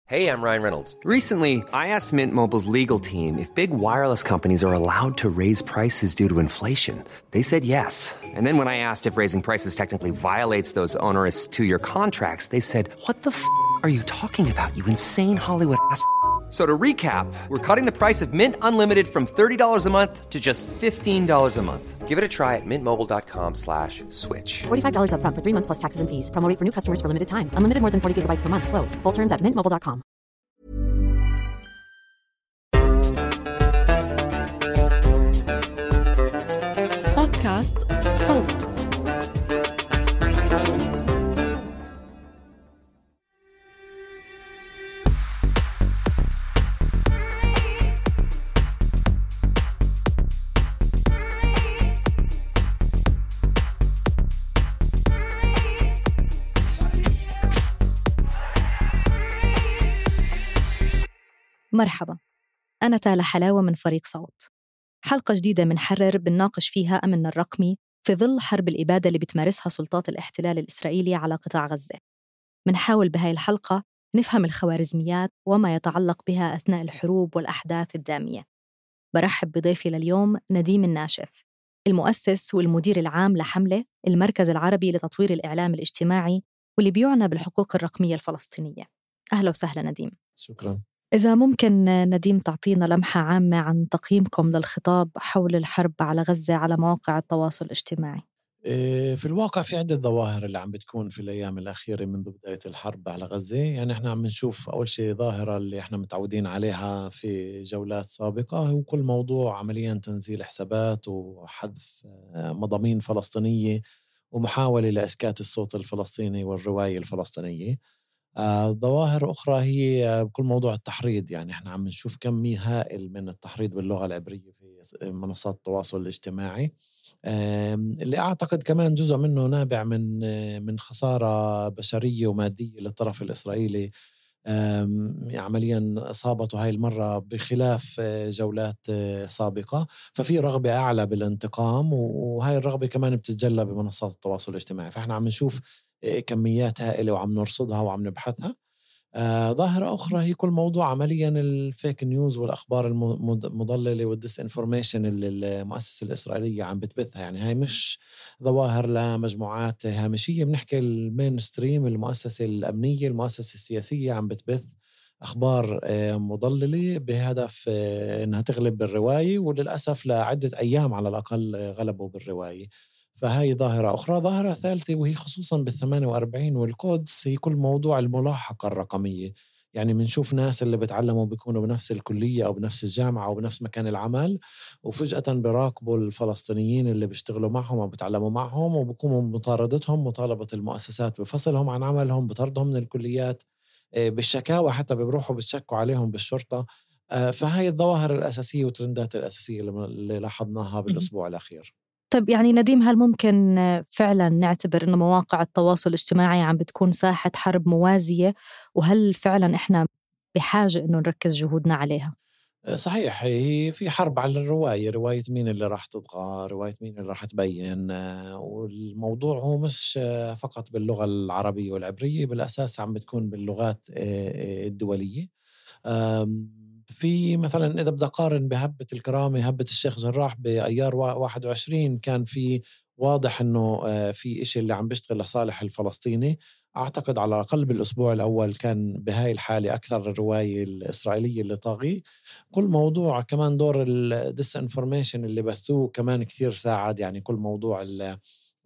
Hey, I'm Ryan Reynolds. Recently, I asked Mint Mobile's legal team if big wireless companies are allowed to raise prices due to inflation. They said yes. And then when I asked if raising prices technically violates those onerous two-year contracts, they said, "What the are you talking about, you insane Hollywood ass?" So to recap, we're cutting the price of Mint Unlimited from $30 a month to just $15 a month. Give it a try at mintmobile.com/switch. $45 up front for 3 months plus taxes and fees. Promo rate for new customers for limited time. Unlimited more than 40 gigabytes per month. Slows full terms at mintmobile.com. بودكاست صوت. مرحبا، أنا تالا حلاوة من فريق صوت. حلقة جديدة منحرر بنناقش فيها أمننا الرقمي في ظل حرب الإبادة اللي بتمارسها سلطات الاحتلال الإسرائيلي على قطاع غزة. منحاول بهاي الحلقة نفهم الخوارزميات وما يتعلق بها أثناء الحروب والأحداث الدامية. برحب بضيفي لليوم نديم الناشف، المؤسس والمدير العام لحملة المركز العربي لتطوير الإعلام الاجتماعي واللي بيعنى بالحقوق الرقمية الفلسطينية. أهلا وسهلا نديم. شكراً. إذا ممكن نديم تعطينا لمحة عامة عن تقييمكم للخطاب حول الحرب على غزة على مواقع التواصل الاجتماعي. في الواقع في عدة ظواهر اللي عم بتكون في الأيام الأخيرة منذ بداية الحرب على غزة. يعني احنا عم نشوف أول شيء ظاهرة اللي احنا متعودين عليها في جولات سابقة، هو كل موضوع عمليا تنزيل حسابات وحذف مضامين فلسطينية ومحاولة لإسكات الصوت الفلسطيني والرواية الفلسطينية. ظواهر أخرى هي بكل موضوع التحريض. يعني إحنا عم نشوف كمية هائل من التحريض باللغة العبرية في منصات التواصل الاجتماعي، اللي أعتقد كمان جزء منه نابع من خسارة بشرية ومادية للطرف الإسرائيلي عمليا أصابته هاي المرة بخلاف جولات سابقة. ففي رغبة أعلى بالانتقام، وهاي الرغبة كمان بتتجلى بمنصات التواصل الاجتماعي. فإحنا عم نشوف كميات هائلة وعم نرصدها وعم نبحثها. ظاهرة أخرى هي كل موضوع عمليا الفيك نيوز والأخبار المضللة والديس انفورميشن اللي المؤسسة الإسرائيلية عم بتبثها. يعني هاي مش ظواهر لمجموعات هامشية، بنحكي المين ستريم، المؤسسة الأمنية، المؤسسة السياسية عم بتبث أخبار مضللة بهدف أنها تغلب بالرواية، وللأسف لعدة أيام على الأقل غلبوا بالرواية. فهاي ظاهرة أخرى. ظاهرة ثالثة وهي خصوصاً بال48 والقدس، هي كل موضوع الملاحقة الرقمية. يعني منشوف ناس اللي بتعلموا بيكونوا بنفس الكلية أو بنفس الجامعة أو بنفس مكان العمل، وفجأة براقبوا الفلسطينيين اللي بيشتغلوا معهم أو بتعلموا معهم، وبقوموا بمطاردتهم، مطالبة المؤسسات بفصلهم عن عملهم، بطردهم من الكليات، بالشكاوى حتى بيروحوا بيشكوا عليهم بالشرطة. فهاي الظواهر الأساسية والترندات الأساسية اللي لاحظناها بالأسبوع الأخير. طيب يعني نديم، هل ممكن فعلا نعتبر إنه مواقع التواصل الاجتماعي عم بتكون ساحة حرب موازية، وهل فعلا إحنا بحاجة إنه نركز جهودنا عليها؟ صحيح، هي في حرب على الرواية، رواية مين اللي راح تطغى، رواية مين اللي راح تبين. والموضوع هو مش فقط باللغة العربية والعبرية، بالأساس عم بتكون باللغات الدولية. في مثلا إذا بدي أقارن بهبة الكرامة، هبة الشيخ جراح بأيار 21، كان في واضح إنه في إشي اللي عم بيشتغل لصالح الفلسطيني. أعتقد على الأقل بالأسبوع الأول كان بهاي الحالة أكثر الرواية الإسرائيلية اللي طاغي. كل موضوع كمان دور الديس انفورميشن اللي بثوه كمان كثير ساعد. يعني كل موضوع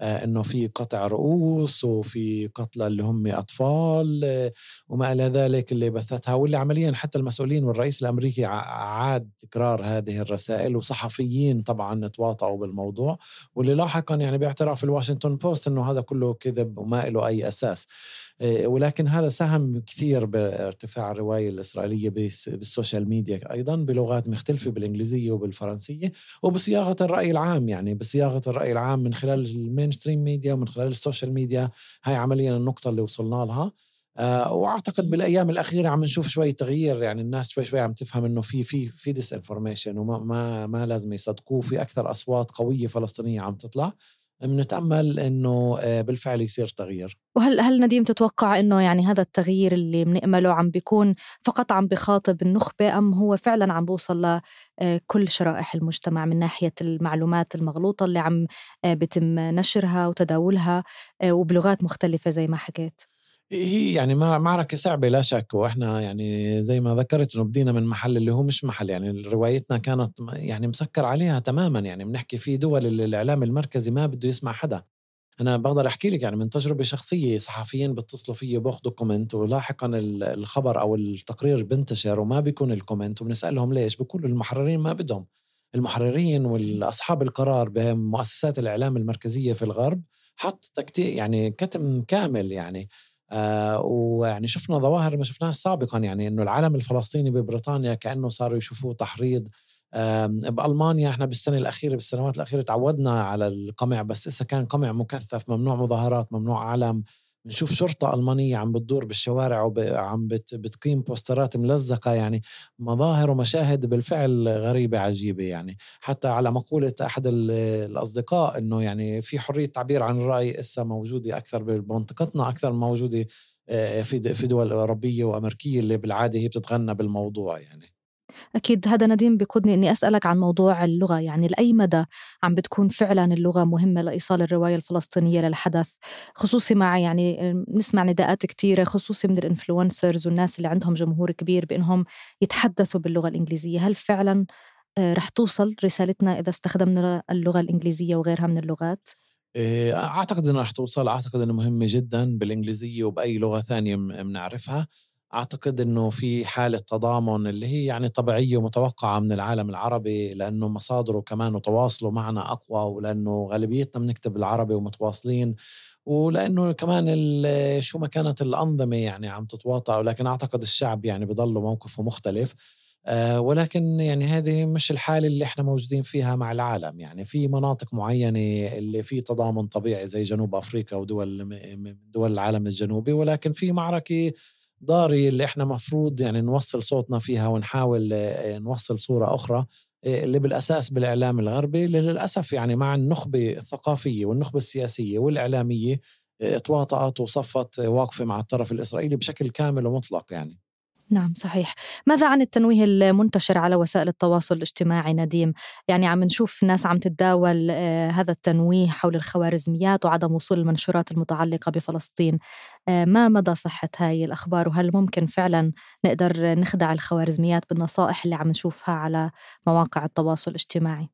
إنه في قطع رؤوس وفي قتلى اللي هم أطفال وما إلى ذلك اللي بثتها، واللي عمليا حتى المسؤولين والرئيس الأمريكي عاد تكرار هذه الرسائل، وصحفيين طبعا تواطؤوا بالموضوع، واللي لاحقا يعني باعتراف الواشنطن بوست إنه هذا كله كذب وما له أي أساس. ولكن هذا ساهم كثير بارتفاع الرواية الإسرائيلية بالسوشيال ميديا، أيضا بلغات مختلفة، بالإنجليزية وبالفرنسية، وبصياغة الرأي العام. يعني بصياغة الرأي العام من خلال المينستريم ميديا ومن خلال السوشيال ميديا. هاي عمليا النقطة اللي وصلنا لها. وأعتقد بالأيام الأخيرة عم نشوف شوي تغيير. يعني الناس شوي عم تفهم إنه في ديس انفورميشن وما لازم يصدقوه. في أكثر أصوات قوية فلسطينية عم تطلع. بنتأمل إنه بالفعل يصير تغيير. وهل نديم تتوقع إنه يعني هذا التغيير اللي بنأمله عم بيكون فقط عم بخاطب النخبة، أم هو فعلا عم بوصل لكل شرائح المجتمع من ناحية المعلومات المغلوطة اللي عم بتم نشرها وتداولها وبلغات مختلفة زي ما حكيت؟ هي يعني معركة صعبة لا شك، وإحنا يعني زي ما ذكرت إنه بدينا من محل اللي هو مش محل، يعني روايتنا كانت يعني مسكر عليها تماما. يعني بنحكي في دول اللي الإعلام المركزي ما بده يسمع حدا. أنا بقدر أحكي لك يعني من تجربة شخصية، صحفيين بتصلوا فيي باخدوا كومنت، ولاحقا الخبر أو التقرير بنتشر وما بيكون الكومنت، وبنسألهم ليش، بيقولوا المحررين ما بدهم. المحررين والأصحاب القرار بمؤسسات الإعلام المركزية في الغرب حط تكتيك يعني كتم كامل يعني. ويعني شفنا ظواهر ما شفناش سابقا، يعني إنه العالم الفلسطيني ببريطانيا كأنه صاروا يشوفوه تحريض. بألمانيا احنا بالسنوات الأخيرة تعودنا على القمع، بس إذا كان قمع مكثف ممنوع مظاهرات، ممنوع علم. بنشوف شرطة ألمانية عم بتدور بالشوارع وعم بتقيم بوسترات ملزقة، يعني مظاهر ومشاهد بالفعل غريبة عجيبة. يعني حتى على مقولة أحد الأصدقاء إنه يعني في حرية تعبير عن الرأي إسا موجودة أكثر بمنطقتنا أكثر موجودة في دول أوروبية وأمريكية اللي بالعادة هي بتتغنى بالموضوع يعني. أكيد هذا نديم بيقودني إني أسألك عن موضوع اللغة، يعني لأي مدى عم بتكون فعلا اللغة مهمة لإيصال الرواية الفلسطينية للحدث، خصوصي مع يعني نسمع نداءات كتيرة خصوصي من الإنفلونسرز والناس اللي عندهم جمهور كبير بإنهم يتحدثوا باللغة الإنجليزية. هل فعلا رح توصل رسالتنا إذا استخدمنا اللغة الإنجليزية وغيرها من اللغات؟ أعتقد أنه رح توصل. أعتقد أنه مهمة جدا بالإنجليزية وبأي لغة ثانية بنعرفها. أعتقد أنه في حالة تضامن اللي هي يعني طبيعية ومتوقعة من العالم العربي، لأنه مصادره كمان وتواصله معنا أقوى، ولأنه غالبيتنا بنكتب العربي ومتواصلين، ولأنه كمان شو ما كانت الأنظمة يعني عم تتواطأ. ولكن أعتقد الشعب يعني بضل موقفه مختلف. ولكن يعني هذه مش الحالة اللي احنا موجودين فيها مع العالم. يعني في مناطق معينة اللي في تضامن طبيعي زي جنوب أفريقيا ودول من دول العالم الجنوبي، ولكن في معركة ضاري اللي احنا مفروض يعني نوصل صوتنا فيها ونحاول نوصل صورة أخرى اللي بالأساس بالإعلام الغربي اللي للأسف يعني مع النخبة الثقافية والنخبة السياسية والإعلامية تواطأت وصفت واقفة مع الطرف الإسرائيلي بشكل كامل ومطلق يعني. نعم صحيح. ماذا عن التنويه المنتشر على وسائل التواصل الاجتماعي نديم؟ يعني عم نشوف ناس عم تتداول هذا التنويه حول الخوارزميات وعدم وصول المنشورات المتعلقة بفلسطين. ما مدى صحة هاي الأخبار، وهل ممكن فعلا نقدر نخدع الخوارزميات بالنصائح اللي عم نشوفها على مواقع التواصل الاجتماعي؟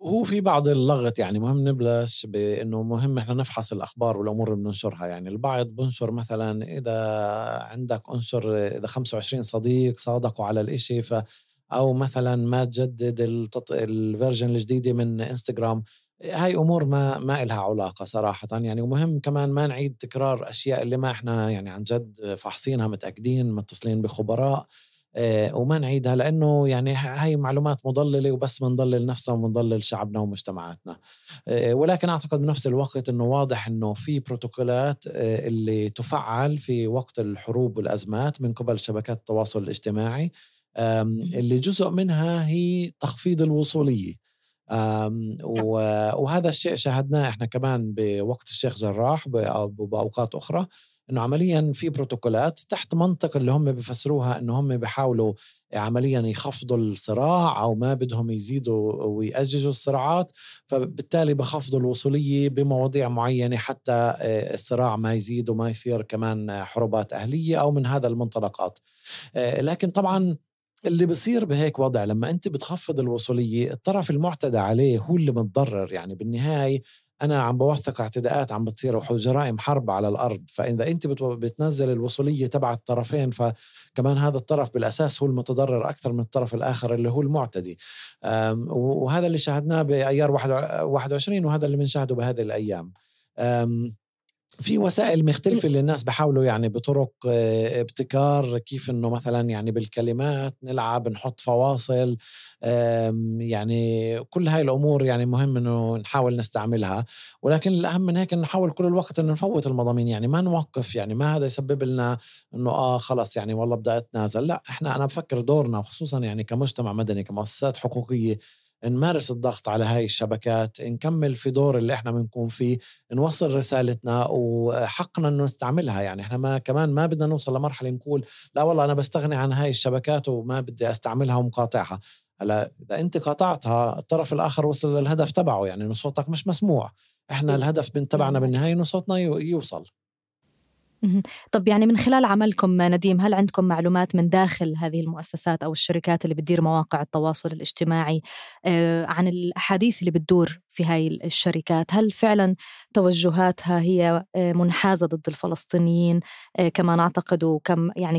هو في بعض اللغط يعني مهم نبلش بأنه مهم إحنا نفحص الأخبار والأمور اللي بننشرها. يعني البعض بنشر مثلا إذا عندك أنشر إذا 25 صديق صادقوا على الإشي أو مثلا ما تجدد الفيرجن الجديدة من إنستغرام. هاي أمور ما إلها علاقة صراحة يعني. ومهم كمان ما نعيد تكرار أشياء اللي ما إحنا يعني عن جد فحصينها متأكدين متصلين بخبراء وما نعيدها، لأنه يعني هاي معلومات مضللة وبس بنضلل نفسنا وبنضلل شعبنا ومجتمعاتنا. ولكن أعتقد بنفس الوقت أنه واضح أنه في بروتوكولات اللي تفعل في وقت الحروب والأزمات من قبل شبكات التواصل الاجتماعي اللي جزء منها هي تخفيض الوصولية. وهذا الشيء شاهدناه إحنا كمان بوقت الشيخ جراح بأوقات أخرى، إنه عملياً في بروتوكولات تحت منطق اللي هم بيفسروها إنه هم بيحاولوا عملياً يخفضوا الصراع أو ما بدهم يزيدوا ويأججوا الصراعات، فبالتالي بخفضوا الوصولية بمواضيع معينة حتى الصراع ما يزيد وما يصير كمان حروبات أهلية أو من هذا المنطلقات. لكن طبعاً اللي بصير بهيك وضع لما أنت بتخفض الوصولية الطرف المعتدى عليه هو اللي متضرر. يعني بالنهاية أنا عم بوثق اعتداءات عم بتصير وجرائم حرب على الأرض، فإذا أنت بتنزل الوصولية تبع الطرفين فكمان هذا الطرف بالأساس هو المتضرر أكثر من الطرف الآخر اللي هو المعتدي. وهذا اللي شاهدناه بأيار 21 وهذا اللي بنشاهده بهذه الأيام. في وسائل مختلفة اللي الناس بحاولوا يعني بطرق ابتكار كيف انه مثلا يعني بالكلمات نلعب نحط فواصل. يعني كل هاي الامور يعني مهم انه نحاول نستعملها، ولكن الاهم من هيك نحاول كل الوقت انه نفوت المضامين. يعني ما نوقف، يعني ما هذا يسبب لنا انه خلص يعني والله بدأت نازل. لا احنا انا بفكر دورنا وخصوصا يعني كمجتمع مدني كمؤسسات حقوقية نمارس الضغط على هاي الشبكات، نكمل في دور اللي احنا بنكون فيه، نوصل رسالتنا وحقنا انه نستعملها. يعني احنا ما بدنا نوصل لمرحلة نقول لا والله انا بستغني عن هاي الشبكات وما بدي استعملها ومقاطعها. هلا اذا انت قاطعتها الطرف الاخر وصل للهدف تبعه، يعني انه صوتك مش مسموع. احنا الهدف تبعنا بالنهاية انه صوتنا يوصل. طب يعني من خلال عملكم نديم، هل عندكم معلومات من داخل هذه المؤسسات أو الشركات اللي بتدير مواقع التواصل الاجتماعي عن الأحاديث اللي بتدور في هاي الشركات؟ هل فعلا توجهاتها هي منحازة ضد الفلسطينيين كما نعتقد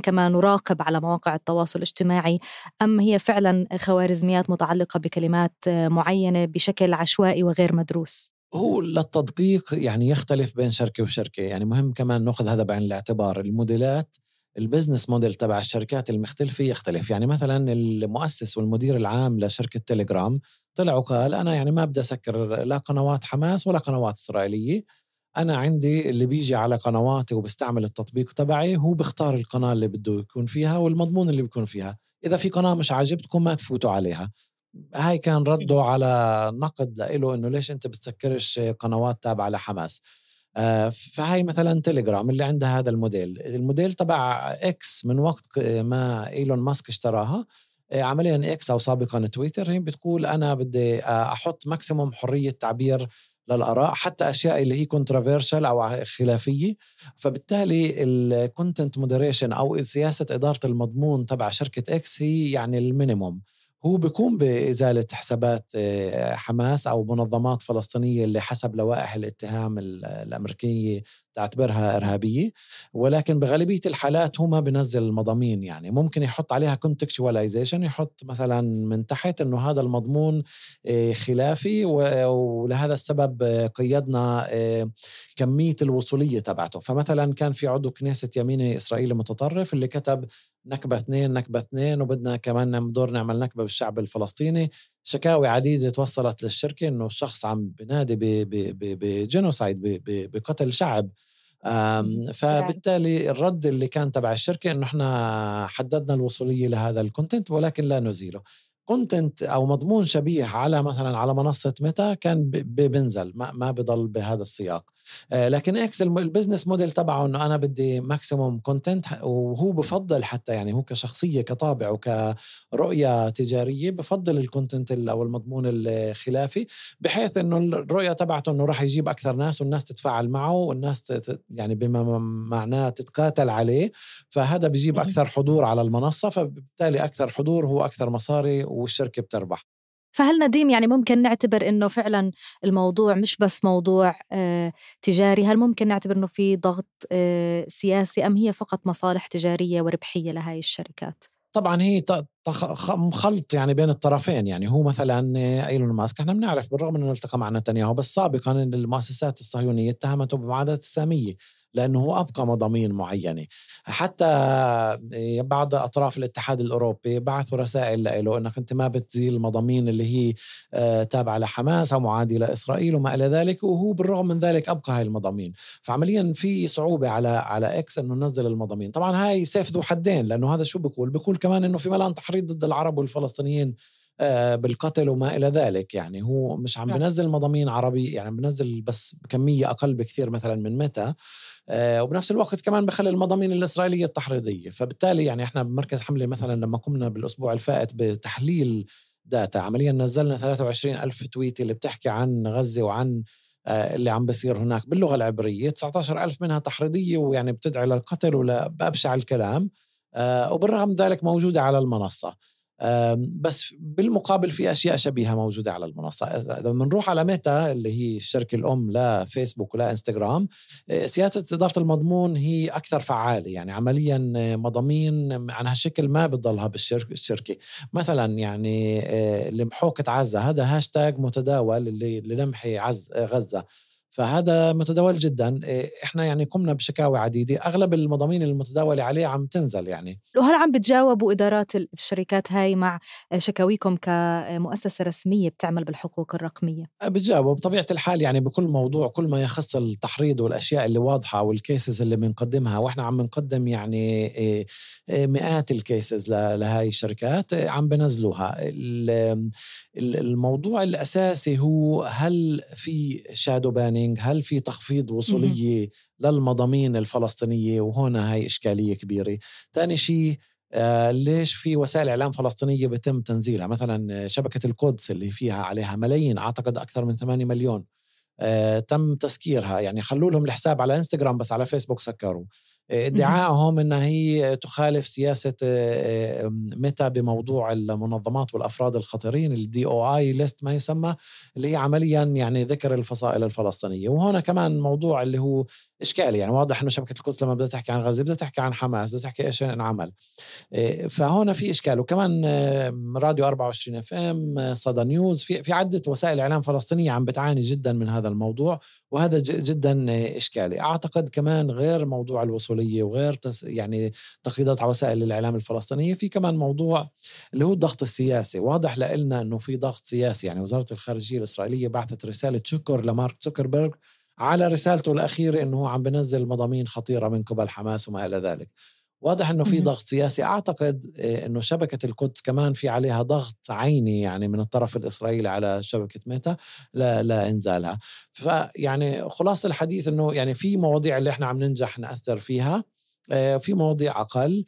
كما نراقب على مواقع التواصل الاجتماعي، أم هي فعلا خوارزميات متعلقة بكلمات معينة بشكل عشوائي وغير مدروس؟ هو للتدقيق يعني يختلف بين شركة وشركة. يعني مهم كمان نأخذ هذا بعين الاعتبار. الموديلات البزنس موديل تبع الشركات المختلفة يختلف. يعني مثلا المؤسس والمدير العام لشركة تيليجرام طلع وقال أنا يعني ما بدي أسكر لا قنوات حماس ولا قنوات إسرائيلية، أنا عندي اللي بيجي على قنواتي وبستعمل التطبيق تبعي هو بيختار القناة اللي بده يكون فيها والمضمون اللي بيكون فيها، إذا في قناة مش عاجبتكم ما تفوتوا عليها. هاي كان رده على نقد له إنه ليش أنت بتسكرش قنوات تابعة لحماس. فهاي مثلا تيليجرام اللي عندها هذا الموديل تبع إكس من وقت ما إيلون ماسك اشتراها. عمليا إكس أو سابقا تويتر هي بتقول أنا بدي أحط ماكسيموم حرية تعبير للآراء، حتى أشياء اللي هي كونترافيرشل أو خلافية. فبالتالي الكونتنت مودريشن أو سياسة إدارة المضمون تبع شركة إكس هي يعني المينيموم. هو بيقوم بإزالة حسابات حماس أو منظمات فلسطينية اللي حسب لوائح الاتهام الأمريكية تعتبرها إرهابية، ولكن بغالبية الحالات هو ما بنزل المضامين. يعني ممكن يحط عليها contextualization، يحط مثلا من تحت إنه هذا المضمون خلافي ولهذا السبب قيدنا كمية الوصولية تبعته. فمثلا كان في عضو كنيسة يميني إسرائيلي متطرف اللي كتب نكبة 2 وبدنا كمان دور نعمل نكبة بالشعب الفلسطيني. شكاوي عديدة توصلت للشركة إنه الشخص عم بنادي بجينوسايد بقتل شعب. فبالتالي الرد اللي كان تبع الشركة إنه إحنا حددنا الوصولية لهذا الكونتنت ولكن لا نزيله. كونتنت أو مضمون شبيه على مثلا على منصة ميتا كان بنزل ما بضل بهذا السياق. لكن إكس البزنس موديل تبعه إنه أنا بدي ماكسيموم كونتنت، وهو بفضل حتى يعني هو كشخصية كطابع وكرؤية تجارية بفضل الكونتنت أو المضمون الخلافي، بحيث إنه الرؤية تبعته إنه راح يجيب أكثر ناس والناس تتفاعل معه والناس يعني بما معناه تتقاتل عليه. فهذا بيجيب أكثر حضور على المنصة، فبالتالي أكثر حضور هو أكثر مصاري والشركة بتربح. فهل نديم يعني ممكن نعتبر إنه فعلا الموضوع مش بس موضوع تجاري؟ هل ممكن نعتبر إنه في ضغط سياسي أم هي فقط مصالح تجارية وربحية لهاي الشركات؟ طبعا هي خلط يعني بين الطرفين. يعني هو مثلا إيلون ماسك احنا بنعرف بالرغم انه التقى مع نتنياهو بس سابقا المؤسسات الصهيونية اتهمته بمعاداة السامية لأنه هو أبقى مضامين معينة. حتى بعض أطراف الاتحاد الأوروبي بعثوا رسائل له أنك أنت ما بتزيل المضامين اللي هي تابعة لحماس أو معادية لإسرائيل وما إلى ذلك، وهو بالرغم من ذلك أبقى هاي المضامين. فعمليا في صعوبة على إكس أنه ننزل المضامين. طبعا هاي سيف ذو حدين، لأنه هذا شو بيقول كمان أنه في ملان تحريض ضد العرب والفلسطينيين بالقتل وما إلى ذلك. يعني هو مش عم بنزل مضامين عربي، يعني بنزل بس بكمية أقل بكثير مثلا من متى، وبنفس الوقت كمان بخلي المضامين الإسرائيلية التحريضية. فبالتالي يعني إحنا بمركز حملة مثلا لما قمنا بالأسبوع الفائت بتحليل داتا عمليا نزلنا 23,000 تويت اللي بتحكي عن غزة وعن اللي عم بيصير هناك باللغة العبرية. 19,000 منها تحريضية ويعني بتدعي للقتل ولا بأبشع الكلام، وبالرغم ذلك موجودة على المنصة. بس بالمقابل في أشياء شبيهة موجودة على المنصة. إذا بنروح على ميتا اللي هي الشركة الأم لا فيسبوك ولا إنستغرام، سياسة إدارة المضمون هي أكثر فعالة. يعني عمليا مضامين عن هالشكل ما بتضلها بالشركة. مثلا يعني لمحوكة عزة هذا هاشتاج متداول اللي لمحي غزة. فهذا متداول جدا. إحنا يعني قمنا بشكاوى عديدة، أغلب المضامين المتداولة عليه عم تنزل يعني. وهل عم بتجاوبوا إدارات الشركات هاي مع شكاويكم كمؤسسة رسمية بتعمل بالحقوق الرقمية؟ بتجاوب بطبيعة الحال يعني بكل موضوع، كل ما يخص التحريض والأشياء اللي واضحة والكيسز اللي بنقدمها، وإحنا عم نقدم يعني مئات الكيسز لهاي الشركات عم بنزلوها. الموضوع الأساسي هو هل في شادو بانينج، هل في تخفيض وصولية للمضامين الفلسطينية، وهنا هاي إشكالية كبيرة. ثاني شيء ليش في وسائل إعلام فلسطينية بتم تنزيلها؟ مثلا شبكة القدس اللي فيها عليها ملايين، أعتقد أكثر من 8 مليون تم تسكيرها، يعني خلوا لهم الحساب على إنستغرام بس على فيسبوك سكروا. ادعائهم أنها هي تخالف سياسة ميتا بموضوع المنظمات والأفراد الخطرين، الDOI ليست ما يسمى، اللي هي عمليا يعني ذكر الفصائل الفلسطينية. وهنا كمان موضوع اللي هو إشكالي، يعني واضح أنه شبكة القدس لما بدها تحكي عن غزة بدها تحكي عن حماس، بدها تحكي إيش انعمل. فهنا في إشكال. وكمان راديو 24 FM، صدى نيوز، في عدة وسائل إعلام فلسطينية عم بتعاني جدا من هذا الموضوع، وهذا جدا إشكالي. أعتقد كمان غير موضوع الوصولية وغير يعني تقييدات على وسائل الإعلام الفلسطينية، في كمان موضوع اللي هو الضغط السياسي. واضح لنا أنه في ضغط سياسي، يعني وزارة الخارجية الإسرائيلية بعثت رسالة شكر لمارك زوكربيرغ على رسالته الأخيرة أنه عم بنزل مضامين خطيرة من قبل حماس وما إلى ذلك. واضح أنه في ضغط سياسي. أعتقد أنه شبكة القدس كمان في عليها ضغط عيني يعني من الطرف الإسرائيلي على شبكة ميتا لا إنزالها. فيعني خلاص الحديث أنه يعني في مواضيع اللي إحنا عم ننجح نأثر فيها، في مواضيع أقل،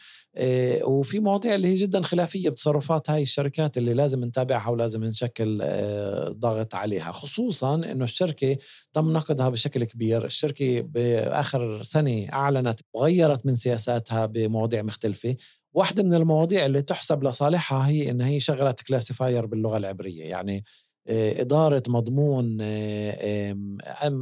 وفي مواضيع اللي هي جدا خلافية بتصرفات هاي الشركات اللي لازم نتابعها ولازم نشكل ضغط عليها. خصوصا أنه الشركة تم نقدها بشكل كبير. الشركة بآخر سنة أعلنت وغيرت من سياساتها بمواضيع مختلفة. واحدة من المواضيع اللي تحسب لصالحها هي أن هي شغلت كلاسيفاير باللغة العبرية، يعني إدارة مضمون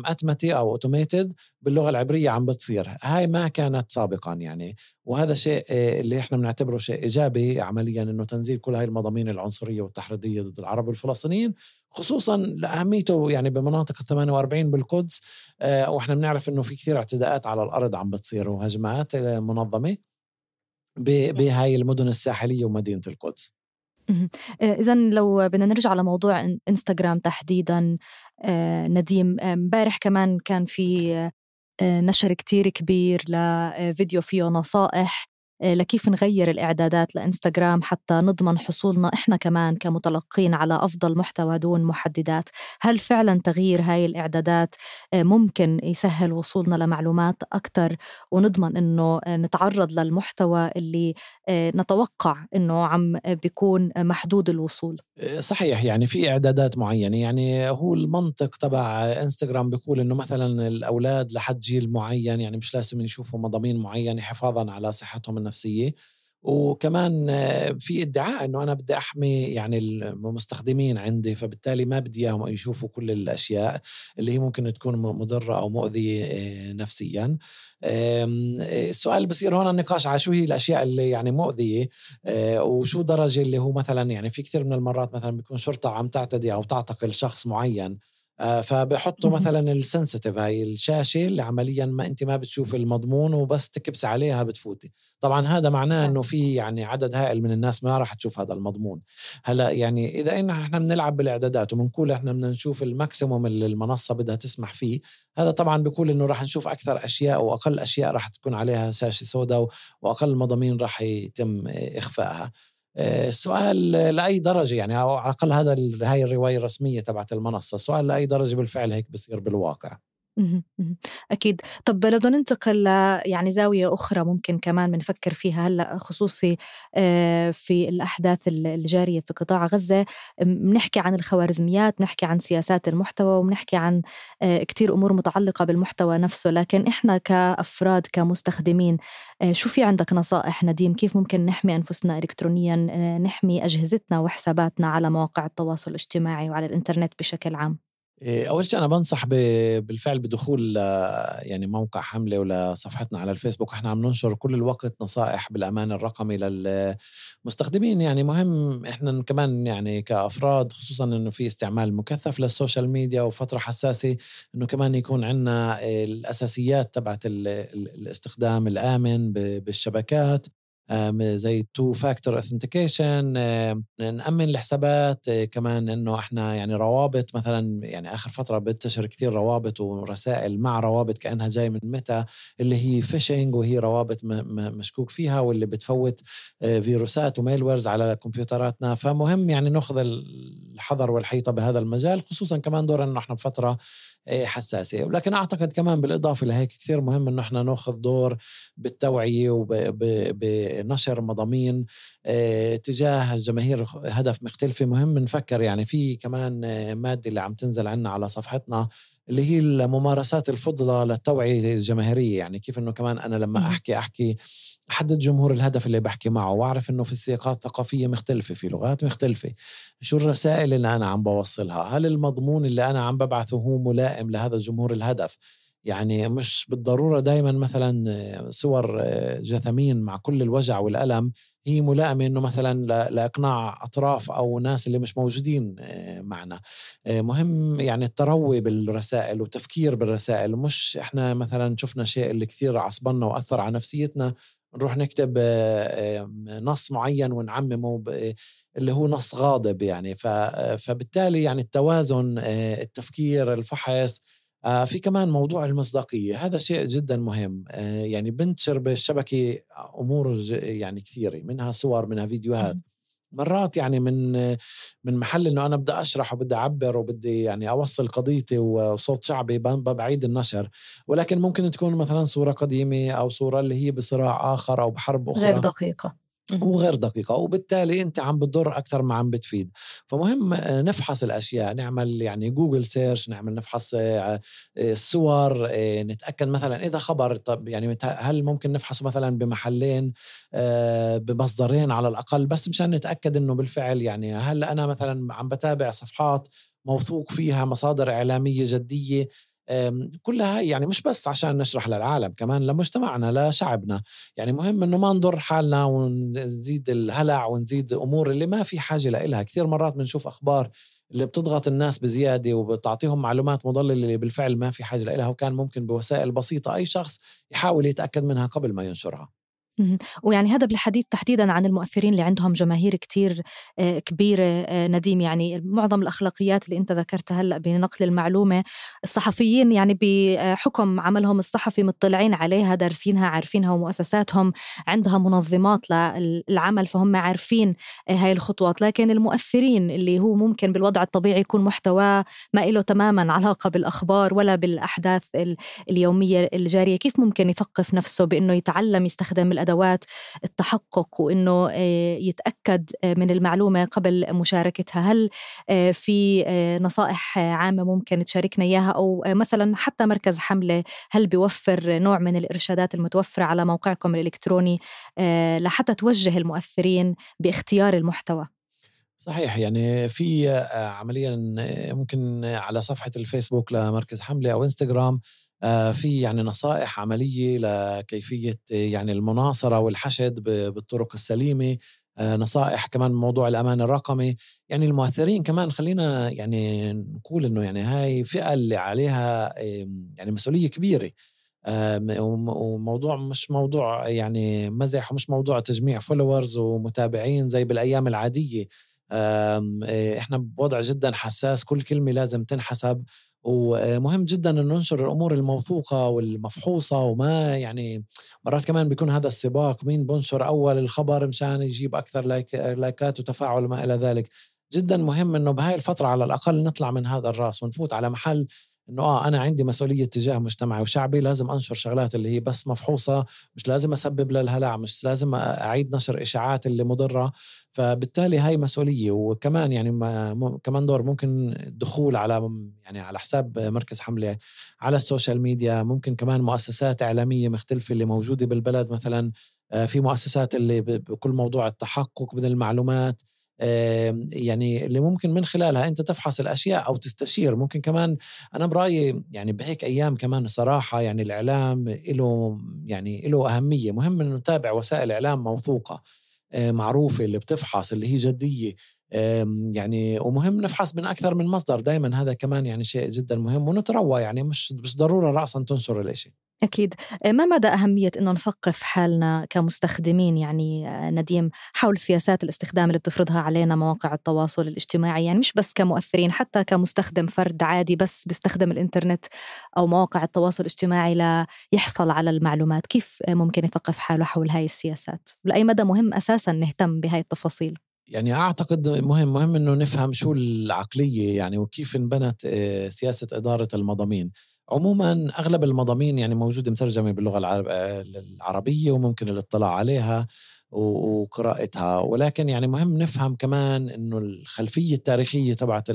أتمتي أو أوتوميتد باللغة العبرية عم بتصير. هاي ما كانت سابقا يعني، وهذا شيء اللي إحنا بنعتبره شيء إيجابي عمليا، إنه تنزيل كل هاي المضامين العنصرية والتحريضية ضد العرب والفلسطينيين، خصوصا لأهميته يعني بمناطق 48 بالقدس. وإحنا بنعرف إنه في كثير اعتداءات على الأرض عم بتصير وهجمات منظمة بهاي المدن الساحلية ومدينة القدس. إذن لو بدنا نرجع لموضوع إنستغرام تحديداً، نديم، امبارح كمان كان في نشر كتير كبير لفيديو فيه نصائح لكيف نغير الإعدادات لإنستغرام حتى نضمن حصولنا إحنا كمان كمتلقين على أفضل محتوى دون محددات. هل فعلا تغيير هاي الإعدادات ممكن يسهل وصولنا لمعلومات أكتر ونضمن إنه نتعرض للمحتوى اللي نتوقع إنه عم بيكون محدود الوصول؟ صحيح، يعني في إعدادات معينة. يعني هو المنطق تبع إنستغرام بيقول إنه مثلا الأولاد لحد جيل معين يعني مش لازم يشوفوا مضامين معينة حفاظا على صحتهم النفسية. وكمان في ادعاء إنه أنا بدي أحمي يعني المستخدمين عندي، فبالتالي ما بدي إياهم يشوفوا كل الأشياء اللي هي ممكن تكون مضرة أو مؤذية نفسيا. السؤال بصير هون النقاش على شو هي الأشياء اللي يعني مؤذية، وشو درجة اللي هو مثلا يعني في كثير من المرات مثلا بيكون شرطة عم تعتدي أو تعتقل شخص معين، فبحطوا مثلا السنسيتيف، هاي الشاشة اللي عمليا ما أنت ما بتشوف المضمون وبس تكبس عليها بتفوتي. طبعا هذا معناه أنه في يعني عدد هائل من الناس ما راح تشوف هذا المضمون. هلا يعني إذا إحنا بنلعب بالإعدادات وبنقول إحنا بدنا نشوف الماكسيموم اللي المنصة بدها تسمح فيه، هذا طبعا بيقول إنه راح نشوف أكثر أشياء وأقل أشياء راح تكون عليها شاشة سوداء وأقل مضامين راح يتم إخفائها. السؤال لأي درجة يعني، أو على الأقل هاي الرواية الرسمية تبعت المنصة، السؤال لأي درجة بالفعل هيك بصير بالواقع؟ أكيد. طب لو بدنا ننتقل يعني زاوية أخرى ممكن كمان بنفكر فيها هلأ، خصوصي في الأحداث الجارية في قطاع غزة، بنحكي عن الخوارزميات، نحكي عن سياسات المحتوى، وبنحكي عن كتير أمور متعلقة بالمحتوى نفسه. لكن إحنا كأفراد كمستخدمين، شو في عندك نصائح نديم كيف ممكن نحمي أنفسنا إلكترونيا، نحمي أجهزتنا وحساباتنا على مواقع التواصل الاجتماعي وعلى الإنترنت بشكل عام؟ أول شيء أنا بنصح بالفعل بدخول يعني موقع حملة ولا صفحتنا على الفيسبوك. إحنا عم ننشر كل الوقت نصائح بالأمان الرقمي للمستخدمين. يعني مهم إحنا كمان يعني كأفراد، خصوصا إنه في استعمال مكثف للسوشيال ميديا وفترة حساسة، إنه كمان يكون عنا الأساسيات تبعت الاستخدام الآمن بالشبكات، زي 2 factor authentication، نأمن الحسابات. كمان إنه إحنا يعني روابط مثلا، يعني آخر فترة بنتشر كثير روابط ورسائل مع روابط كأنها جاي من ميتا، اللي هي فيشينج، وهي روابط مشكوك فيها واللي بتفوت فيروسات وميلويرز على كمبيوتراتنا. فمهم يعني نأخذ الحذر والحيطة بهذا المجال، خصوصا كمان دور إنه إحنا بفترة حساسة. ولكن أعتقد كمان بالإضافة لهيك كثير مهم إنه إحنا نأخذ دور بالتوعية وبنشر مضامين تجاه جماهير هدف مختلفة. مهم نفكر يعني في كمان مادة اللي عم تنزل عنا على صفحتنا اللي هي الممارسات الفضلة للتوعية الجماهيرية. يعني كيف إنه كمان أنا لما أحكي أحدد جمهور الهدف اللي بحكي معه، وأعرف إنه في سياقات ثقافية مختلفة، في لغات مختلفة، شو الرسائل اللي أنا عم بوصلها، هل المضمون اللي أنا عم ببعثه هو ملائم لهذا الجمهور الهدف. يعني مش بالضرورة دايما مثلا صور جثمين مع كل الوجع والألم هي ملائمة إنه مثلا لإقناع أطراف أو ناس اللي مش موجودين معنا. مهم يعني التروي بالرسائل وتفكير بالرسائل، مش إحنا مثلا شفنا شيء اللي كثير عصبنا وأثر على نفسيتنا نروح نكتب نص معين ونعممه اللي هو نص غاضب. يعني فبالتالي يعني التوازن، التفكير، الفحص. في كمان موضوع المصداقية، هذا شيء جدا مهم. يعني بنتشر بالشبكة أمور يعني كثيرة، منها صور، منها فيديوهات. مرات يعني من محل إنه أنا بدي أشرح وبدي أعبر وبدي يعني أوصل قضيتي وصوت شعبي بعيد النشر، ولكن ممكن تكون مثلا صورة قديمة أو صورة اللي هي بصراع آخر أو بحرب أخرى غير دقيقة وغير دقيقة، وبالتالي أنت عم بتضر أكتر ما عم بتفيد. فمهم نفحص الأشياء، نعمل يعني جوجل سيرش، نفحص الصور، نتأكد مثلا إذا خبر، طب يعني هل ممكن نفحصه مثلا بمحلين، بمصدرين على الأقل، بس مشان نتأكد إنه بالفعل يعني هل أنا مثلا عم بتابع صفحات موثوق فيها، مصادر إعلامية جدية. كلها يعني مش بس عشان نشرح للعالم، كمان لمجتمعنا لشعبنا. يعني مهم إنه ما نضر حالنا ونزيد الهلع ونزيد أمور اللي ما في حاجة لإلها. كثير مرات بنشوف أخبار اللي بتضغط الناس بزيادة وبتعطيهم معلومات مضللة اللي بالفعل ما في حاجة لإلها، وكان ممكن بوسائل بسيطة أي شخص يحاول يتأكد منها قبل ما ينشرها. ويعني هذا بالحديث تحديداً عن المؤثرين اللي عندهم جماهير كتير كبيرة. نديم، يعني معظم الأخلاقيات اللي أنت ذكرتها هلأ بنقل المعلومة، الصحفيين يعني بحكم عملهم الصحفي مطلعين عليها، دارسينها، عارفينها، ومؤسساتهم عندها منظمات للعمل، فهم عارفين هاي الخطوات. لكن المؤثرين اللي هو ممكن بالوضع الطبيعي يكون محتوى ما إله تماماً علاقة بالأخبار ولا بالأحداث اليومية الجارية، كيف ممكن يثقف نفسه بأنه يتعلم يستخدم الأدوات التحقق وإنه يتأكد من المعلومة قبل مشاركتها؟ هل في نصائح عامة ممكن تشاركنا إياها؟ أو مثلا حتى مركز حملة هل بيوفر نوع من الإرشادات المتوفرة على موقعكم الإلكتروني لحتى توجه المؤثرين باختيار المحتوى؟ صحيح، يعني في عمليا ممكن على صفحة الفيسبوك لمركز حملة أو إنستغرام في يعني نصائح عملية لكيفية يعني المناصرة والحشد بالطرق السليمة. نصائح كمان موضوع الأمان الرقمي. يعني المؤثرين كمان خلينا يعني نقول إنه يعني هاي فئة اللي عليها يعني مسؤولية كبيرة، وموضوع مش موضوع يعني مزح، ومش موضوع تجميع فولورز ومتابعين زي بالأيام العادية. إحنا بوضع جدا حساس، كل كلمة لازم تنحسب، ومهم جدا أن ننشر الأمور الموثوقة والمفحوصة. وما يعني مرات كمان بيكون هذا السباق، مين بنشر أول الخبر مشان يجيب أكثر لايكات وتفاعل وما إلى ذلك. جدا مهم أنه بهاي الفترة على الأقل نطلع من هذا الراس ونفوت على محل إنه أنا عندي مسؤولية تجاه مجتمعي وشعبي، لازم أنشر شغلات اللي هي بس مفحوصة، مش لازم أسبب للهلع، مش لازم أعيد نشر إشاعات اللي مضرة. فبالتالي هاي مسؤولية. وكمان يعني كمان دور ممكن الدخول على يعني على حساب مركز حملة على السوشيال ميديا. ممكن كمان مؤسسات إعلامية مختلفة اللي موجودة بالبلد، مثلا في مؤسسات اللي بكل موضوع التحقق من المعلومات، يعني اللي ممكن من خلالها أنت تفحص الأشياء أو تستشير. ممكن كمان أنا برأيي يعني بهيك أيام كمان الصراحة يعني الإعلام له أهمية. مهم إنه نتابع وسائل إعلام موثوقة معروفة اللي بتفحص اللي هي جدية يعني. ومهم نفحص من أكثر من مصدر دايما، هذا كمان يعني شيء جدا مهم. ونتروى يعني مش ضرورة رأسا تنشر الاشي. أكيد. ما مدى أهمية إنه نثقف حالنا كمستخدمين يعني نديم حول سياسات الاستخدام اللي بتفرضها علينا مواقع التواصل الاجتماعي، يعني مش بس كمؤثرين، حتى كمستخدم فرد عادي بس بيستخدم الإنترنت أو مواقع التواصل الاجتماعي ليحصل على المعلومات؟ كيف ممكن يثقف حاله حول هاي السياسات؟ لأي مدى مهم أساساً نهتم بهاي التفاصيل؟ يعني أعتقد مهم إنه نفهم شو العقلية يعني وكيف انبنت سياسة إدارة المضامين. عموما أغلب المضامين يعني موجودة مترجمة باللغة العربية وممكن الاطلاع عليها وقراءتها، ولكن يعني مهم نفهم كمان إنه الخلفية التاريخية تبعت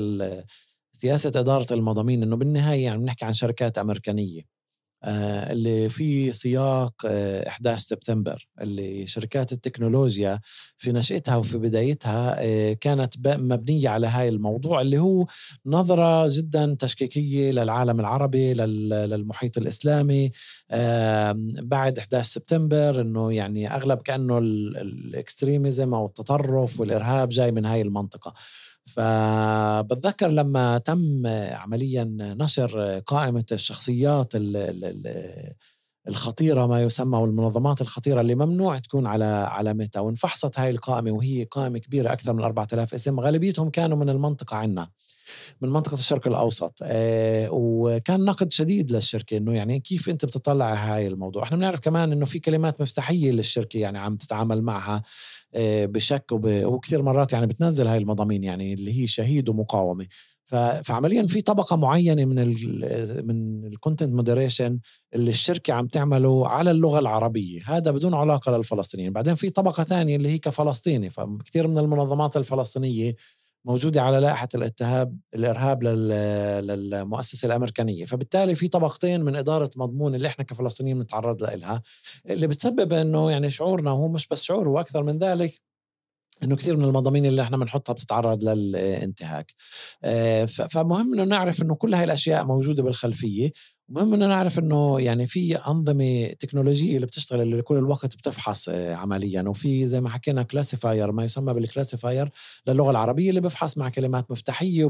سياسة إدارة المضامين. إنه بالنهاية يعني بنحكي عن شركات أمريكانية اللي في سياق 11 سبتمبر، اللي شركات التكنولوجيا في نشأتها وفي بدايتها كانت مبنية على هاي الموضوع اللي هو نظرة جدا تشكيكية للعالم العربي للمحيط الإسلامي بعد 11 سبتمبر. إنه يعني أغلب كأنه الإكستريميزم أو التطرف والإرهاب جاي من هاي المنطقة. فبتذكر لما تم عمليا نشر قائمة الشخصيات الخطيرة ما يسمى والمنظمات الخطيرة اللي ممنوع تكون على ميتا، وانفحصت هاي القائمة وهي قائمة كبيرة أكثر من 4000 اسم، غالبيتهم كانوا من المنطقة عنا من منطقة الشرق الأوسط. وكان نقد شديد للشركة إنه يعني كيف أنت بتطلع هاي الموضوع. احنا بنعرف كمان إنه في كلمات مفتاحية للشركة يعني عم تتعامل معها بشك وكثير مرات يعني بتنزل هاي المضامين يعني اللي هي شهيد ومقاومة. فعمليا في طبقة معينة من الكونتنت مودريشن اللي الشركة عم تعمله على اللغة العربية، هذا بدون علاقة للفلسطينيين. بعدين في طبقة ثانية اللي هي كفلسطيني، فكثير من المنظمات الفلسطينية موجودة على لائحة الإرهاب للمؤسسة الأمريكانية. فبالتالي في طبقتين من إدارة مضمون اللي إحنا كفلسطينيين نتعرض لها، اللي بتسبب إنه يعني شعورنا، وهو مش بس شعور وأكثر من ذلك، إنه كثير من المضامين اللي إحنا بنحطها بتتعرض للانتهاك. فمهم إنه نعرف إنه كل هاي الأشياء موجودة بالخلفية. مهم إنه نعرف إنه يعني في أنظمة تكنولوجية اللي بتشتغل اللي كل الوقت بتفحص عمليا، وفي زي ما حكينا كلاسيفاير ما يسمى بالكلاسيفاير للغة العربية اللي بفحص مع كلمات مفتاحية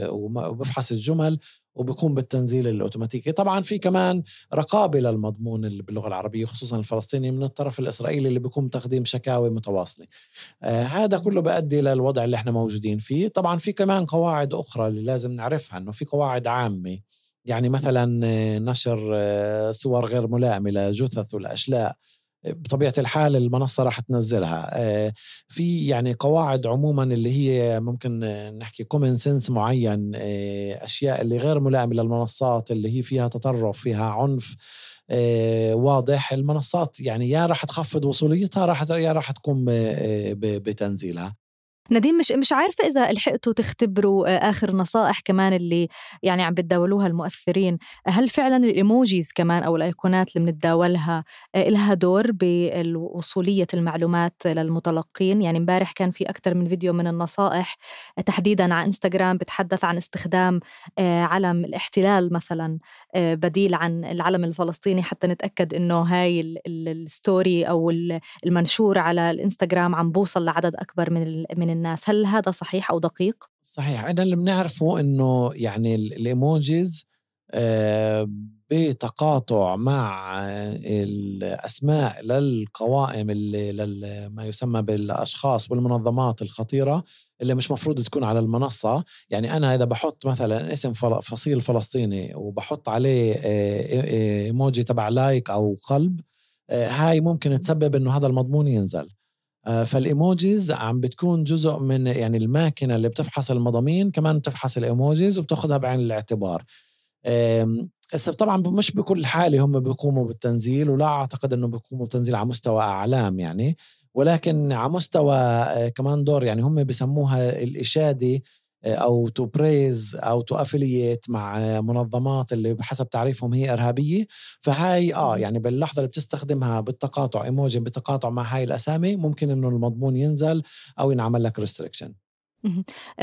وبفحص الجمل وبيقوم بالتنزيل الأوتوماتيكي. طبعا في كمان رقابة للمضمون اللي باللغة العربية خصوصا الفلسطيني من الطرف الإسرائيلي اللي بيقوم تقديم شكاوي متواصلة. هذا كله بيؤدي للوضع اللي احنا موجودين فيه. طبعا في كمان قواعد أخرى اللي لازم نعرفها، إنه في قواعد عامة يعني مثلا نشر صور غير ملائمة لجثث والأشلاء بطبيعة الحال المنصة راح تنزلها. في يعني قواعد عموما اللي هي ممكن نحكي common sense معين، أشياء اللي غير ملائمة للمنصات اللي هي فيها تطرف فيها عنف واضح، المنصات يعني يا راح تخفض وصوليتها يا راح تقوم بتنزيلها. نديم مش عارفة إذا لحقتوا تختبروا آخر نصائح كمان اللي يعني عم بتداولوها المؤثرين. هل فعلا الإيموجيز كمان أو الأيقونات اللي بنتداولها لها دور بالوصولية المعلومات للمتلقين؟ يعني امبارح كان في أكثر من فيديو من النصائح تحديدا على إنستغرام بتحدث عن استخدام علم الاحتلال مثلا بديل عن العلم الفلسطيني حتى نتأكد إنه هاي الستوري أو المنشور على الإنستغرام عم بوصل لعدد أكبر من الناس. هل هذا صحيح أو دقيق؟ صحيح. أنا اللي بنعرفه إنه يعني الإيموجيز بتقاطع مع الأسماء للقوائم اللي ما يسمى بالأشخاص والمنظمات الخطيرة اللي مش مفروض تكون على المنصة. يعني أنا إذا بحط مثلا اسم فصيل فلسطيني وبحط عليه إيموجي تبع لايك أو قلب، هاي ممكن تسبب إنه هذا المضمون ينزل. فالإيموجيز عم بتكون جزء من يعني الماكينة اللي بتفحص المضامين كمان بتفحص الإيموجيز وبتاخدها بعين الاعتبار. طبعا مش بكل حالة هم بيقوموا بالتنزيل، ولا أعتقد أنه بيقوموا بالتنزيل على مستوى أعلام يعني، ولكن على مستوى كمان دور يعني هم بيسموها الإشادة أو تو بريز أو تو أفيلييت مع منظمات اللي بحسب تعريفهم هي إرهابية. فهاي يعني باللحظة اللي بتستخدمها بالتقاطع إيموجي بتقاطع مع هاي الأسامي ممكن إنه المضمون ينزل أو ينعمل لك restriction.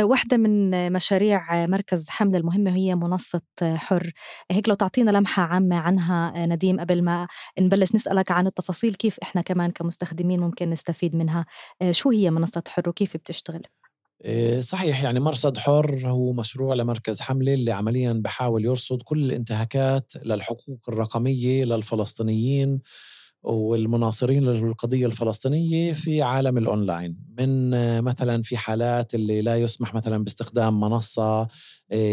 واحدة من مشاريع مركز حملة المهمة هي منصة حر. هيك لو تعطينا لمحة عامة عنها نديم قبل ما نبلش نسألك عن التفاصيل كيف إحنا كمان كمستخدمين ممكن نستفيد منها. شو هي منصة حر وكيف بتشتغل؟ صحيح، يعني مرصد حر هو مشروع لمركز حملة اللي عملياً بحاول يرصد كل الانتهاكات للحقوق الرقمية للفلسطينيين والمناصرين للقضية الفلسطينية في عالم الأونلاين. من مثلا في حالات اللي لا يسمح مثلا باستخدام منصة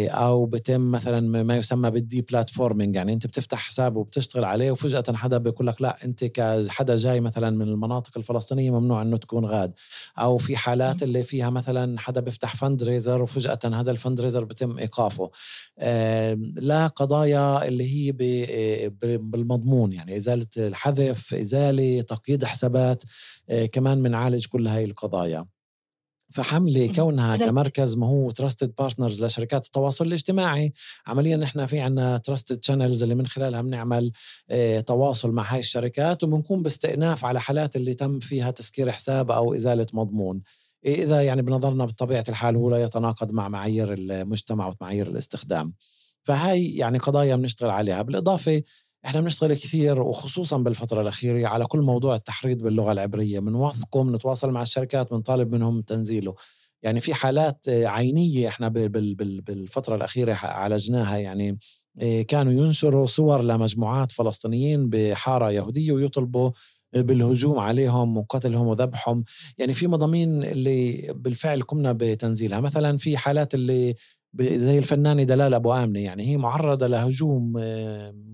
أو بتم مثلا ما يسمى بالدي بلاتفورمينج، يعني أنت بتفتح حساب وبتشتغل عليه وفجأة حدا بيقول لك لا أنت كحدا جاي مثلا من المناطق الفلسطينية ممنوع أنه تكون غاد. أو في حالات اللي فيها مثلا حدا بيفتح فندريزر وفجأة هذا الفندريزر بتم إيقافه. لا قضايا اللي هي بالمضمون، يعني إزالة الحذف، إزالة، تقييد حسابات، كمان منعالج كل هاي القضايا. فحملة كونها كمركز ما هو Trusted Partners لشركات التواصل الاجتماعي، عمليا نحن في عنا Trusted Channels اللي من خلالها بنعمل تواصل مع هاي الشركات وبنكون باستئناف على حالات اللي تم فيها تسكير حساب أو إزالة مضمون، إذا يعني بنظرنا بطبيعة الحال هو لا يتناقض مع معايير المجتمع ومعايير الاستخدام. فهاي يعني قضايا بنشتغل عليها. بالإضافة احنا بنشتغل كثير وخصوصا بالفترة الأخيرة على كل موضوع التحريض باللغة العبرية، بنوثقه، بنتواصل مع الشركات، بنطالب منهم تنزيله. يعني في حالات عينية احنا بالفترة الأخيرة عالجناها، يعني كانوا ينشروا صور لمجموعات فلسطينيين بحارة يهودية ويطلبوا بالهجوم عليهم وقتلهم وذبحهم. يعني في مضامين اللي بالفعل قمنا بتنزيلها. مثلا في حالات اللي زي الفنانة دلال أبو آمنة، يعني هي معرضة لهجوم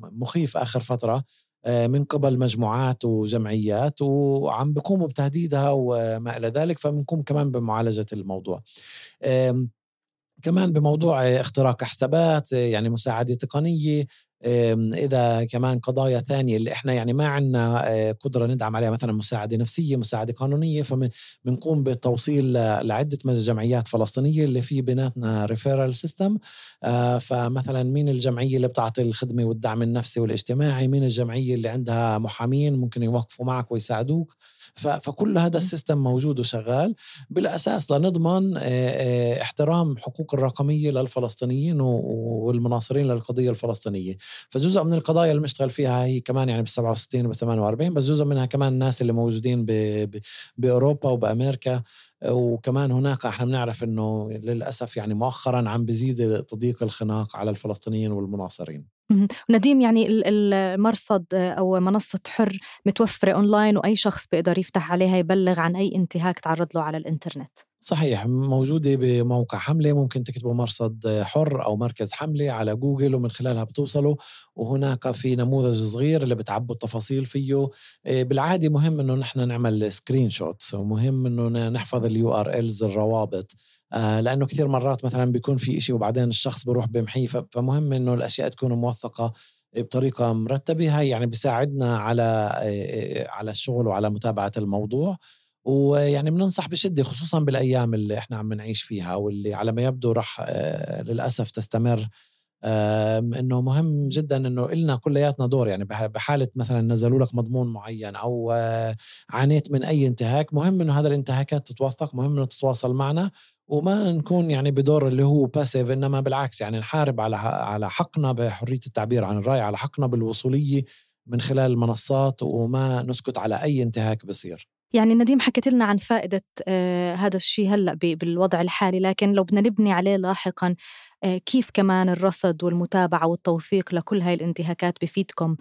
مخيف آخر فترة من قبل مجموعات وجمعيات وعم بيقوموا بتهديدها وما إلى ذلك، فبنقوم كمان بمعالجة الموضوع. كمان بموضوع اختراق حسابات، يعني مساعدة تقنية. إذا كمان قضايا ثانية اللي إحنا يعني ما عنا قدرة ندعم عليها، مثلا مساعدة نفسية، مساعدة قانونية، فبنقوم بالتوصيل لعدة جمعيات فلسطينية اللي في بيناتنا ريفيرال سيستم. فمثلا مين الجمعية اللي بتعطي الخدمة والدعم النفسي والاجتماعي، مين الجمعية اللي عندها محامين ممكن يوقفوا معك ويساعدوك. فكل هذا السيستم موجود وشغال بالأساس لنضمن احترام حقوق الرقمية للفلسطينيين والمناصرين للقضية الفلسطينية. فجزء من القضايا اللي بنشتغل فيها هي كمان يعني بال67 وب48، بس جزء منها كمان الناس اللي موجودين بأوروبا وبأمريكا. وكمان هناك احنا بنعرف انه للأسف يعني مؤخرا عم بيزيد تضييق الخناق على الفلسطينيين والمناصرين. نديم، يعني المرصد أو منصة حر متوفرة أونلاين وأي شخص بيقدر يفتح عليها يبلغ عن أي انتهاك تعرض له على الإنترنت. صحيح، موجودة بموقع حملة، ممكن تكتبوا مرصد حر أو مركز حملة على جوجل ومن خلالها بتوصلوا. وهناك في نموذج صغير اللي بتعبوا التفاصيل فيه. بالعادة مهم إنه نحن نعمل سكرين شوتس، ومهم إنه نحفظ URLs الروابط، لأنه كثير مرات مثلا بيكون في إشي وبعدين الشخص بيروح بمحيه. فمهم إنه الأشياء تكون موثقة بطريقة مرتبة. هاي يعني بيساعدنا على الشغل وعلى متابعة الموضوع. ويعني بننصح بشدة خصوصا بالأيام اللي احنا عم نعيش فيها واللي على ما يبدو رح للأسف تستمر، إنه مهم جدا إنه إلنا كلياتنا دور. يعني بحالة مثلا نزلوا لك مضمون معين أو عانيت من أي انتهاك، مهم إنه هذا الانتهاكات تتوثق، مهم إنه تتواصل معنا وما نكون يعني بدور اللي هو باسيف، إنما بالعكس يعني نحارب على حقنا بحرية التعبير عن الرأي، على حقنا بالوصولية من خلال المنصات، وما نسكت على أي انتهاك بصير. يعني نديم حكيت لنا عن فائدة هذا الشيء هلأ بالوضع الحالي، لكن لو بدنا نبني عليه لاحقاً، كيف كمان الرصد والمتابعة والتوثيق لكل هاي الانتهاكات بفيدكم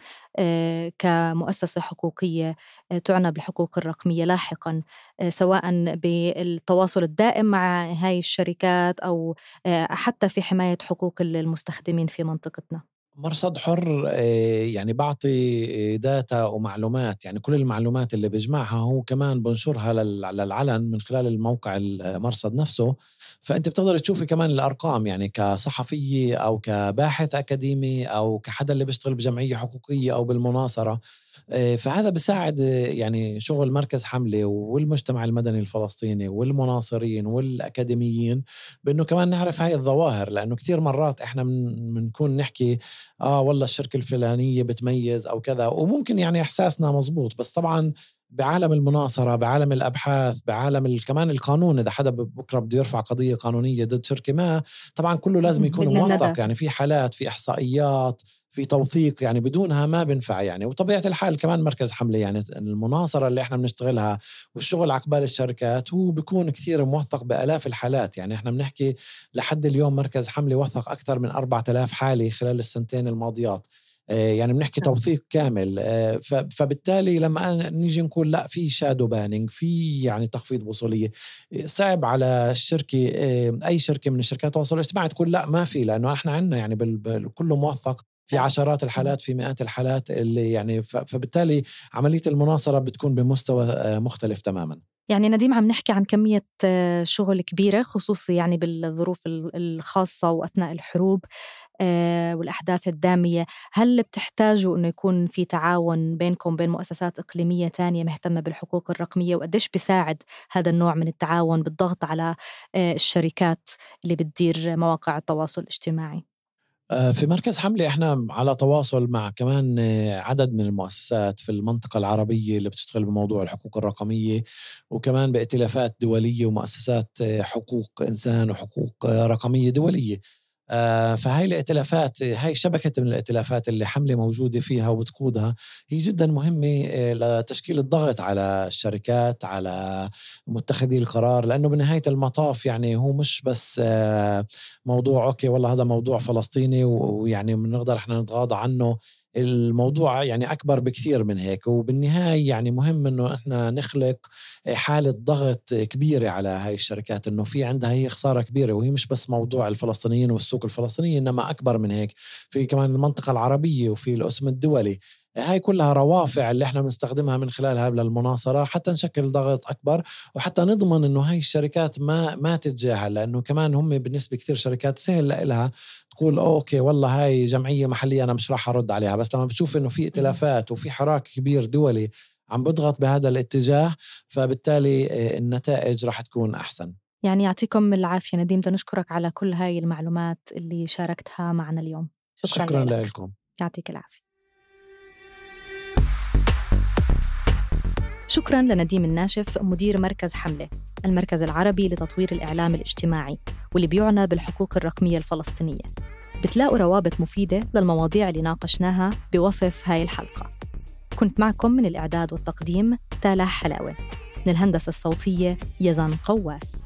كمؤسسة حقوقية تعنى بالحقوق الرقمية لاحقاً، سواء بالتواصل الدائم مع هاي الشركات أو حتى في حماية حقوق المستخدمين في منطقتنا؟ مرصد حر يعني بعطي داتا ومعلومات، يعني كل المعلومات اللي بجمعها هو كمان بنشرها للعلن من خلال الموقع المرصد نفسه. فأنت بتقدر تشوفي كمان الأرقام، يعني كصحفية أو كباحث أكاديمي أو كحدا اللي بيشتغل بجمعية حقوقية أو بالمناصرة. فهذا بيساعد يعني شغل مركز حملة والمجتمع المدني الفلسطيني والمناصرين والأكاديميين بأنه كمان نعرف هاي الظواهر، لأنه كتير مرات إحنا منكون نحكي والله الشركة الفلانية بتميز أو كذا، وممكن يعني إحساسنا مزبوط، بس طبعا بعالم المناصرة، بعالم الأبحاث، بعالم كمان القانون، إذا حدا بكرة بده يرفع قضية قانونية ضد شركة ما، طبعا كله لازم يكون موثق، يعني في حالات، في إحصائيات، في توثيق، يعني بدونها ما بنفع يعني. وطبيعة الحال كمان مركز حملة يعني المناصرة اللي احنا بنشتغلها والشغل عقبال الشركات هو بيكون كثير موثق بآلاف الحالات. يعني احنا بنحكي لحد اليوم مركز حملة وثق أكثر من 4000 حالة خلال السنتين الماضيات، يعني بنحكي توثيق كامل. فبالتالي لما نيجي نقول لا في شادو بانينج، في يعني تخفيض وصولية، صعب على الشركة أي شركة من الشركات التواصل الاجتماعي تقول لا ما في، لأنه احنا عندنا يعني كله موثق، في عشرات الحالات، في مئات الحالات اللي يعني فبالتالي عملية المناصرة بتكون بمستوى مختلف تماما. يعني نديم عم نحكي عن كمية شغل كبيرة، خصوصي يعني بالظروف الخاصة وأثناء الحروب والأحداث الدامية. هل بتحتاجوا أنه يكون في تعاون بينكم بين مؤسسات إقليمية تانية مهتمة بالحقوق الرقمية؟ وقديش بيساعد هذا النوع من التعاون بالضغط على الشركات اللي بتدير مواقع التواصل الاجتماعي؟ في مركز حملة احنا على تواصل مع كمان عدد من المؤسسات في المنطقة العربية اللي بتشتغل بموضوع الحقوق الرقمية، وكمان بائتلافات دولية ومؤسسات حقوق إنسان وحقوق رقمية دولية. فهاي الائتلافات، هاي شبكة من الائتلافات اللي حملة موجودة فيها وبتقودها، هي جدا مهمة لتشكيل الضغط على الشركات، على متخذي القرار، لأنه بنهاية المطاف يعني هو مش بس موضوع أوكي والله هذا موضوع فلسطيني ويعني بنقدر احنا نتغاضى عنه. الموضوع يعني أكبر بكثير من هيك، وبالنهاية يعني مهم إنه إحنا نخلق حالة ضغط كبيرة على هاي الشركات، إنه في عندها هي خسارة كبيرة، وهي مش بس موضوع الفلسطينيين والسوق الفلسطيني، إنما أكبر من هيك، في كمان المنطقة العربية وفي الأسم الدولي. هاي كلها روافع اللي احنا بنستخدمها من خلالها للمناصرة حتى نشكل ضغط أكبر، وحتى نضمن إنه هاي الشركات ما تتجاهل، لأنه كمان هم بالنسبة كثير شركات سهل لها تقول أوكي والله هاي جمعية محلية أنا مش راح أرد عليها، بس لما بتشوف إنه في ائتلافات وفي حراك كبير دولي عم بضغط بهذا الاتجاه، فبالتالي النتائج راح تكون أحسن. يعني يعطيكم العافية نديم، نشكرك على كل هاي المعلومات اللي شاركتها معنا اليوم. شكرا لكم. يعطيك العافية. شكراً لنديم الناشف، مدير مركز حملة، المركز العربي لتطوير الإعلام الاجتماعي واللي بيعنى بالحقوق الرقمية الفلسطينية. بتلاقوا روابط مفيدة للمواضيع اللي ناقشناها بوصف هاي الحلقة. كنت معكم من الإعداد والتقديم تالا حلاوة، من الهندسة الصوتية يزن قواس.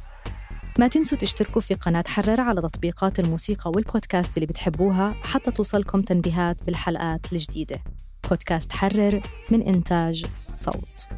ما تنسوا تشتركوا في قناة حرر على تطبيقات الموسيقى والبودكاست اللي بتحبوها حتى توصلكم تنبيهات بالحلقات الجديدة. بودكاست حرر من إنتاج صوت.